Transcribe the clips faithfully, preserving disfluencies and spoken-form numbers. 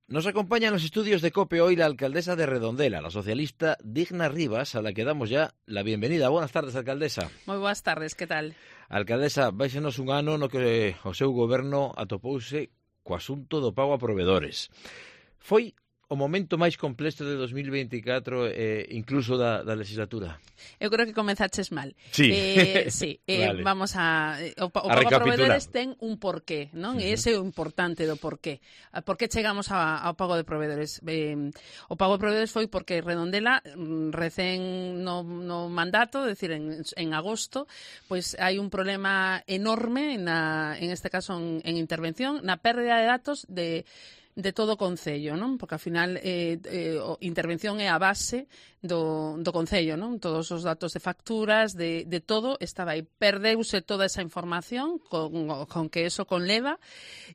Nos acompaña en los estudios de COPE hoy la alcaldesa de Redondela, la socialista Digna Rivas, a la que damos ya la bienvenida. Buenas tardes, alcaldesa. Moi boas tardes, que tal? Alcaldesa, vaixenos un ano no que o seu goberno atopouse co asunto do pago a provedores. Foi o momento máis complexo de dos mil vinte e catro, eh, incluso da, da legislatura? Eu creo que comenzaches mal. Sí, eh, sí eh, vale. Vamos a... O, o a pago a provedores ten un porqué, non? Uh -huh. E ese é o importante do porqué. Por que chegamos a, ao pago de provedores? Eh, o pago de provedores foi porque Redondela, recén no, no mandato, é dicir, en, en agosto, pois hai un problema enorme, na, en este caso en, en intervención, na pérdida de datos de de todo o Concello, non? Porque, ao final, eh, eh, a intervención é a base do, do Concello, non? Todos os datos de facturas, de, de todo, estaba aí. Perdeuse toda esa información con, con que eso conleva.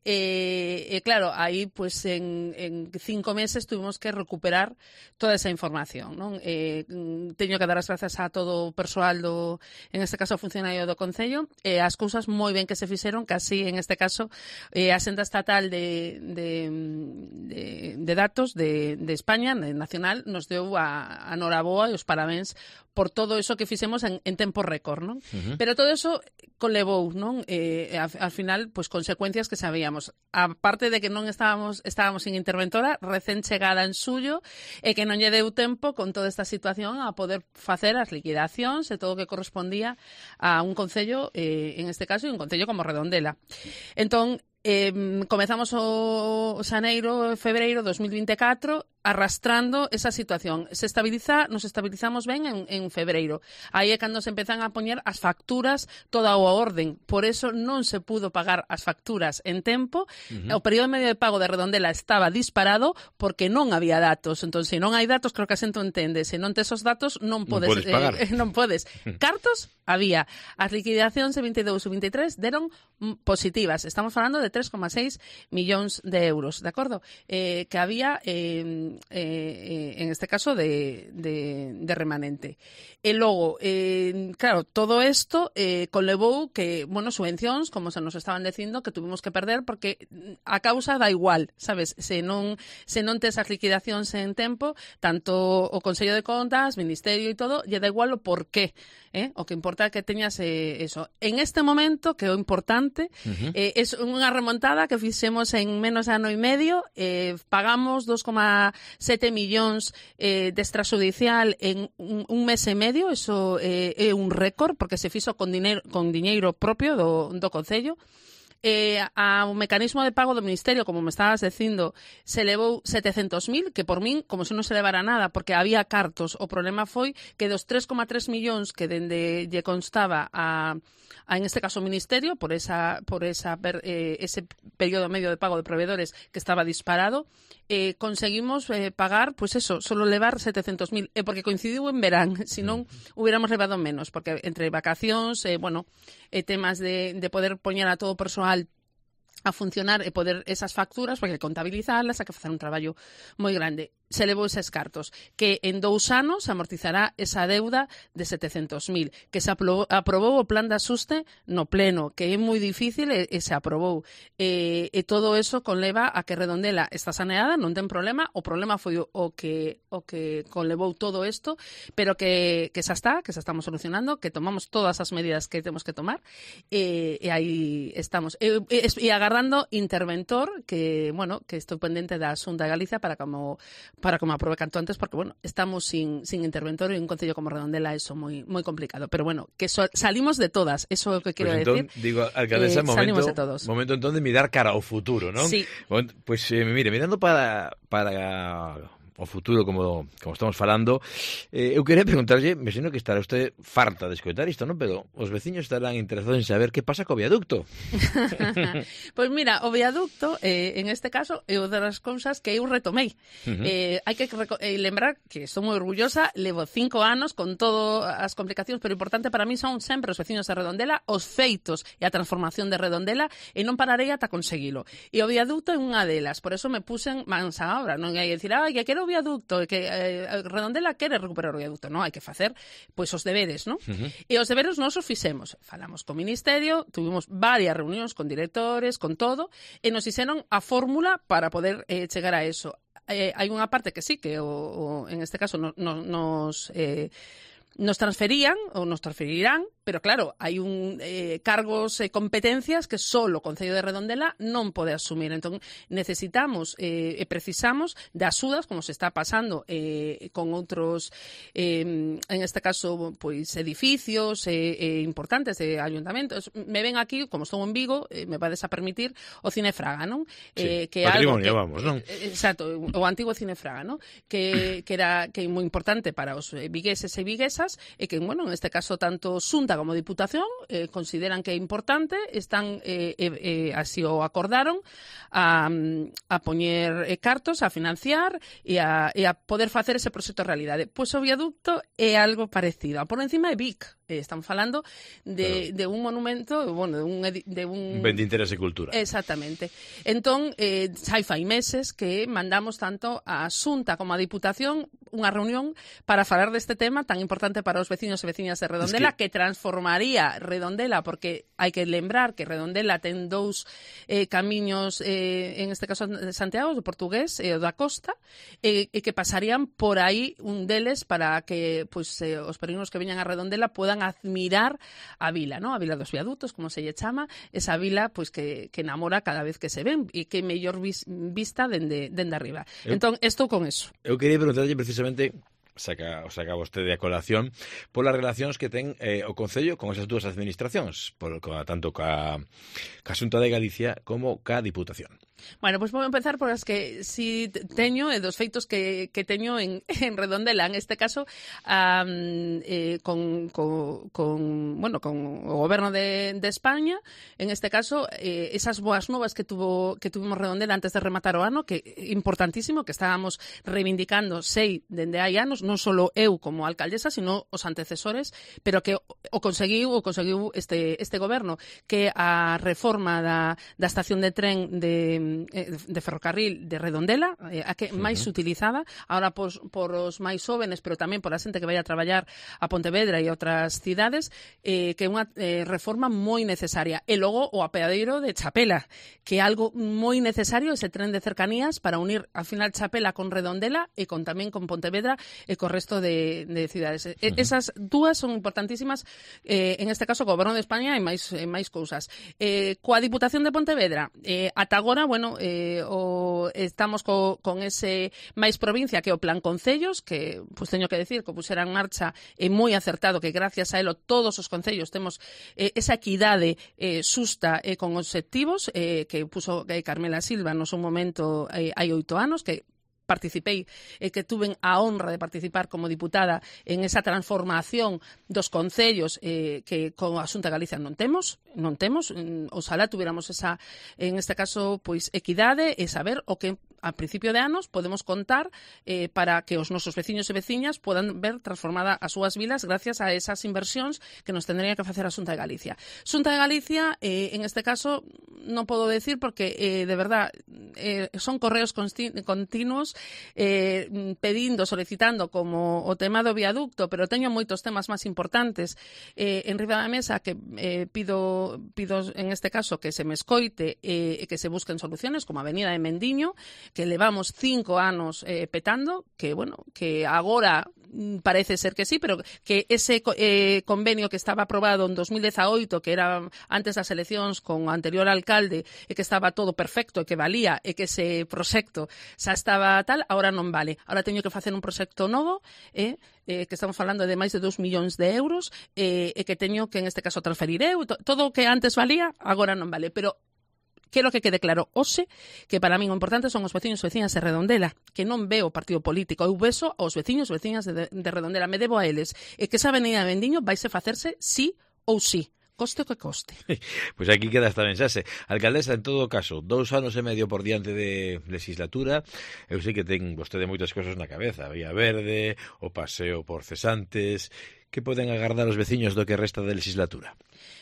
E, eh, eh, claro, aí, pues, en, en cinco meses tuvimos que recuperar toda esa información, non? Eh, teño que dar as grazas a todo o persoal do, en este caso, o funcionario do Concello, e eh, as cousas moi ben que se fixeron, que así, en este caso, eh, a Senda Estatal de, de De, de datos de, de España, de nacional, nos deu a, a noraboa e os parabéns por todo eso que fixemos en, en tempo récord, non? Uh -huh. Pero todo eso conlevou, non? Eh, al, al final, pues, consecuencias que sabíamos. A parte de que non estábamos estábamos sin interventora, recén chegada en suyo, e que non lle deu tempo con toda esta situación a poder facer as liquidacións e todo o que correspondía a un concello, eh, en este caso, e un concello como Redondela. Entón, Eh, comezamos o xaneiro, febreiro dos mil vinte e catro arrastrando esa situación. Se estabiliza, nos estabilizamos ben en, en febreiro. Aí é cando se empezan a poñer as facturas toda a orden. Por eso non se pudo pagar as facturas en tempo. Uh -huh. O período medio de pago de Redondela estaba disparado porque non había datos. Entón, se non hai datos, creo que a xente entende. Se non tes os datos, non podes, non podes pagar. Eh, non podes. Cartos había. As liquidacións de vinte e dous e vinte e tres deron positivas. Estamos falando de tres coma seis millóns de euros, de acordo? Eh, que había... Eh, Eh, en este caso de, de, de remanente. E logo, eh, claro, todo isto eh, conlevou que, bueno, subvencións, como se nos estaban dicindo, que tuvimos que perder porque a causa da igual, sabes? Se non, se non tes as liquidacións en tempo, tanto o Consello de Contas, Ministerio e todo, lle da igual o porqué. Eh? O que importa é que teñas eh, eso. En este momento, que é o importante, uh -huh. eh, é unha remontada que fixemos en menos de ano e medio, eh, pagamos dos coma sete millóns eh, de extrajudicial en un, un mes e medio, eso eh, é un récord, porque se fixo con dineiro, con diñeiro propio do, do Concello. Eh, ao mecanismo de pago do Ministerio, como me estabas dicindo, se levou setecentos mil, que por min, como se non se levara nada, porque había cartos. O problema foi que dos tres coma tres millóns que dende lle constaba a, a en este caso, o Ministerio, por esa por esa eh, ese período medio de pago de proveedores que estaba disparado, eh, conseguimos eh, pagar, pues eso, solo levar setecentos mil, e porque coincidiu en verán, senón hubiéramos levado menos, porque entre vacacións, eh, bueno, eh, temas de, de poder poñer a todo o persoal a funcionar e poder esas facturas, porque contabilizarlas, hai que facer un traballo moi grande. Se levou eses cartos, que en dous anos amortizará esa deuda de setecentos mil, que se aprobou, aprobou o plan de axuste no pleno, que é moi difícil e, e se aprobou. E, e todo eso conleva a que Redondela está saneada, non ten problema, o problema foi o, o que o que conlevou todo isto, pero que, que xa está, que xa estamos solucionando, que tomamos todas as medidas que temos que tomar, e, e aí estamos. E, e, e agarrando interventor, que, bueno, que estou pendente da Xunta de Galicia para como para como aprobe canto antes, porque, bueno, estamos sin, sin interventor en un concello como Redondela, eso moi moi complicado. Pero, bueno, que so, salimos de todas, eso é o que quero pues entón, decir. Digo, alcaldesa, eh, momento, de todos. momento entón de mirar cara ao futuro, non? Sí. Bueno, pues, eh, mire, mirando para... para... o futuro, como, como estamos falando, eh, eu quería preguntarlle, me sino que estará usted farta de escoitar isto, non? Pero os veciños estarán interesados en saber que pasa co viaducto. Pois pues mira, o viaducto, eh, en este caso, é unha das cousas que eu retomei. Uh -huh. eh, hai que eh, lembrar que estou moi orgullosa, levo cinco anos con todas as complicacións, pero importante para mí son sempre os veciños de Redondela, os feitos e a transformación de Redondela, e non pararei ata conseguilo. E o viaducto é unha delas, por eso me puxen mans a obra, non hai que dicir, ai, que quero o viaducto, que eh, Redondela quere recuperar o viaducto, non? Hai que facer, pois, os deberes, non? Uh-huh. E os deberes nós os fixemos. Falamos co Ministerio, tuvimos varias reunións con directores, con todo, e nos fixeron a fórmula para poder eh, chegar a eso. Eh, hai unha parte que sí, que o, o, en este caso no, no, nos... Eh, nos transferían ou nos transferirán, pero claro, hai un eh, cargos e eh, competencias que só o Concello de Redondela non pode asumir. Entón, necesitamos eh, e precisamos de axudas, como se está pasando eh, con outros, eh, en este caso, pois edificios eh, eh, importantes de ayuntamentos. Me ven aquí, como estou en Vigo, eh, me vades a permitir o Cine Fraga, non? Sí, eh, que patrimonio, algo que, vamos, non? Eh, exacto, o antigo Cine Fraga, non? Que, que era que é moi importante para os vigueses e viguesas, e que, bueno, en este caso tanto Xunta como Diputación eh, consideran que é importante, están eh, eh, así o acordaron a, a poñer eh, cartos, a financiar e a, e a poder facer ese proxecto realidade. Pois o viaducto é algo parecido. A por encima é Vic. Eh, están falando de, claro. de un monumento, bueno, de un... De un... Ben de interés e cultura. Exactamente. Entón, eh, xa fai meses que mandamos tanto a Xunta como a Diputación unha reunión para falar deste tema tan importante para os veciños e veciñas de Redondela, es que... que transformaría Redondela, porque hai que lembrar que Redondela ten dous eh, camiños, eh, en este caso de Santiago, do portugués e o da costa, e eh, que pasarían por aí un deles para que pues, eh, os peregrinos que veñan a Redondela puedan admirar a vila, ¿no? A vila dos viadutos, como se lle chama, esa vila pues, que, que enamora cada vez que se ven e que mellor vis, vista dende, dende arriba. Eu, entón, estou con eso. Eu quería preguntarlle precisamente, saca, saca vostede a colación, polas relacións que ten eh, o Concello con esas dúas administracións, por, con, tanto ca, ca Xunta de Galicia como ca Diputación. Bueno, pois pues vou empezar por as que si teño e dos feitos que, que teño en, en Redondela, en este caso um, eh, con, con, con, bueno, con o Goberno de, de España, en este caso eh, esas boas novas que tuvo que tuvimos Redondela antes de rematar o ano, que importantísimo, que estábamos reivindicando sei dende hai anos, non só eu como alcaldesa, sino os antecesores, pero que o conseguiu, o conseguiu este, este Goberno, que a reforma da, da estación de tren de de ferrocarril de Redondela, eh, a que máis uh-huh. utilizada, ahora por, por os máis jóvenes, pero tamén por a xente que vai a traballar a Pontevedra e outras cidades, eh, que é unha eh, reforma moi necesaria. E logo o apeadeiro de Chapela, que é algo moi necesario, ese tren de cercanías para unir al final Chapela con Redondela e con tamén con Pontevedra e co resto de, de cidades. Uh-huh. Esas dúas son importantísimas, eh, en este caso, o Goberno de España e máis, e máis cousas. Eh, coa Diputación de Pontevedra, eh, ata agora, bueno, Eh, o, estamos co, con ese máis provincia que o Plan Concellos, que pues, teño que decir que pusera en marcha é eh, moi acertado, que gracias a elo todos os concellos temos eh, esa equidade eh, xusta eh, con obxectivos eh, que puso eh, Carmela Silva no seu momento eh, hai oito anos, que participei e eh, que tuven a honra de participar como diputada en esa transformación dos concellos eh, que con a Xunta de Galicia non temos, non temos, oxalá tuviéramos esa, en este caso, pois equidade e saber o que a principio de anos podemos contar eh, para que os nosos veciños e veciñas podan ver transformada as súas vilas gracias a esas inversións que nos tendría que facer a Xunta de Galicia. Xunta de Galicia, eh, en este caso, non podo decir porque, eh, de verdad, eh, son correos continuos eh, pedindo, solicitando como o tema do viaducto, pero teño moitos temas máis importantes eh, en riba da mesa que eh, pido, pido, en este caso, que se me escoite e eh, que se busquen soluciones, como a Avenida de Mendiño, que levamos cinco anos eh, petando, que, bueno, que agora parece ser que sí, pero que ese eh, convenio que estaba aprobado en dos mil dezaoito, que era antes das eleccións con o anterior alcalde, e que estaba todo perfecto, e que valía, e que ese proxecto xa estaba tal, agora non vale. Agora teño que facer un proxecto novo, eh, eh, que estamos falando de máis de dos millóns de euros, eh, e que teño que, en este caso, transferir eu. Todo o que antes valía, agora non vale. Pero quero que quede claro hoxe que para min o importante son os veciños e veciñas de Redondela, que non veo partido político, eu beso aos veciños e veciñas de, de Redondela, me debo a eles, e que esa avenida de Vendiño vaise facerse sí ou sí, coste o que coste. Pois pues aquí queda esta mensaxe. Alcaldesa, en todo caso, dous anos e medio por diante de legislatura, eu sei que ten vostede moitas cosas na cabeza, Vía Verde, o paseo por Cesantes. que poden agardar os veciños do que resta da legislatura?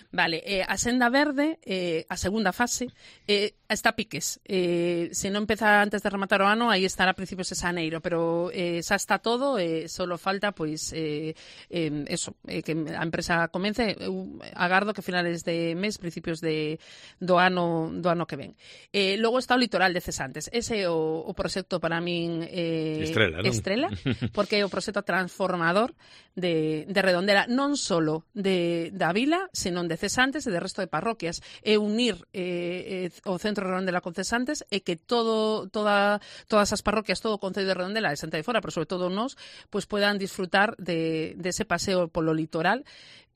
Vale, eh, a senda verde, eh, a segunda fase, eh, está a piques. Eh, se non empeza antes de rematar o ano, aí estará a principios de xaneiro, pero eh, xa está todo, eh, solo falta, pois, eh, eh, eso, eh, que a empresa comence. Eu agardo que finales de mes, principios de, do ano do ano que ven. Eh, logo está o litoral de Cesantes. Ese é o, o proxecto para min eh, estrela, non? estrela, porque é o proxecto transformador de, de Redondela, non solo de, da vila, senón de Cesantes e de resto de parroquias, e unir eh, eh, o centro de Redondela con Cesantes e que todo toda todas as parroquias, todo o concello de Redondela e Santa de Fora, pero sobre todo nós, pues puedan disfrutar de, de ese paseo polo litoral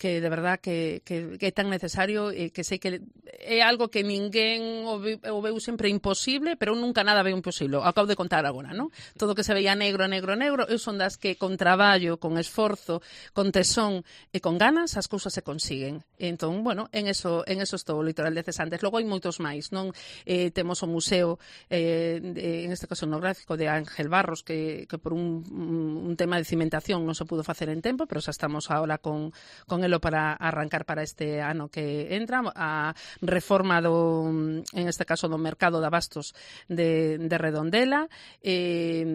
que de verdad que, que, que é tan necesario e que sei que é algo que ninguén o, ve, o veu sempre imposible, pero nunca nada veu imposible. Acabo de contar agora, non? Todo que se veía negro, negro, negro, eu son das que con traballo, con esforzo, con tesón e con ganas as cousas se consiguen. Entón, bueno, en eso en eso estou o litoral de Cesantes. Logo hai moitos máis, non? Eh, temos o museo eh, de, en este caso etnográfico de Ángel Barros que, que por un, un tema de cimentación non se pudo facer en tempo, pero xa estamos ahora con, con el para arrancar para este ano que entra, a reforma do, en este caso, do mercado de abastos de, de Redondela, eh,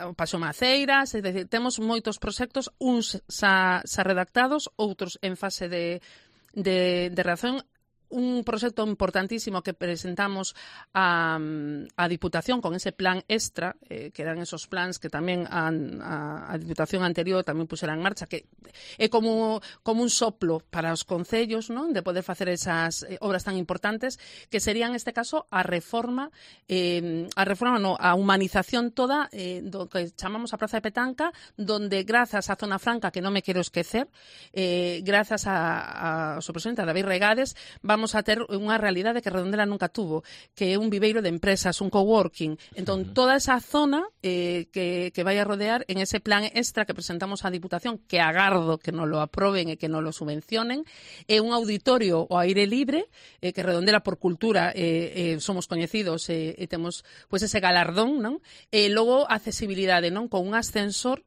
o Paso Maceiras, é dicir, temos moitos proxectos, uns xa, xa redactados, outros en fase de, de, de redacción. Un proxecto importantísimo que presentamos a, a Diputación con ese plan extra, eh, que eran esos plans que tamén a, a, a Diputación anterior tamén pusera en marcha, que é como, como un soplo para os concellos, non, de poder facer esas eh, obras tan importantes, que serían, neste caso, a reforma, eh, a reforma, no, a humanización toda eh, do que chamamos a Praza de Petanca, donde, grazas á Zona Franca, que non me quero esquecer, eh, grazas a, a, a seu presidente, a David Regades, vamos a ter unha realidade que Redondela nunca tuvo, que é un viveiro de empresas, un coworking. Entón, uh-huh. toda esa zona eh, que, que vai a rodear en ese plan extra que presentamos á Diputación, que agardo que nos lo aproben e que nos lo subvencionen, é un auditorio ao aire libre, eh, que Redondela por cultura eh, eh, somos coñecidos e eh, eh, temos pues, ese galardón, non? E logo accesibilidade, non? Con un ascensor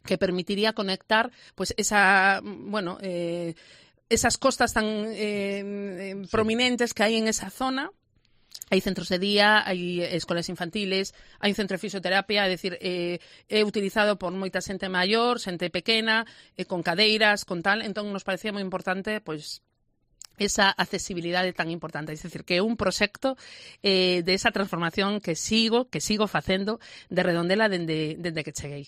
que permitiría conectar pues esa, bueno, eh, esas costas tan eh, eh, prominentes que hai en esa zona. Hai centros de día, hai escolas infantiles, hai un centro de fisioterapia, é dicir, eh, é utilizado por moita xente maior, xente pequena, eh, con cadeiras, con tal, entón nos parecía moi importante, pois, esa accesibilidade tan importante, é dicir, que é un proxecto eh, de esa transformación que sigo, que sigo facendo de Redondela dende, dende que cheguei.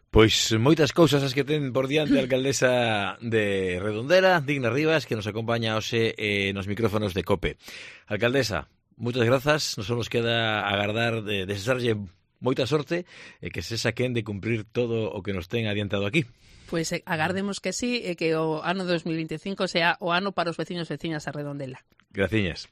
Pois moitas cousas as que ten por diante a alcaldesa de Redondela, Digna Rivas, que nos acompaña hoxe eh, nos micrófonos de COPE. Alcaldesa, moitas grazas, nos nos queda agardar de desexarlle moita sorte e que se saquen de cumprir todo o que nos ten adiantado aquí. Pois eh, agardemos que sí e que o ano dos mil veinticinco sea o ano para os veciños e veciñas a Redondela. Graciñas.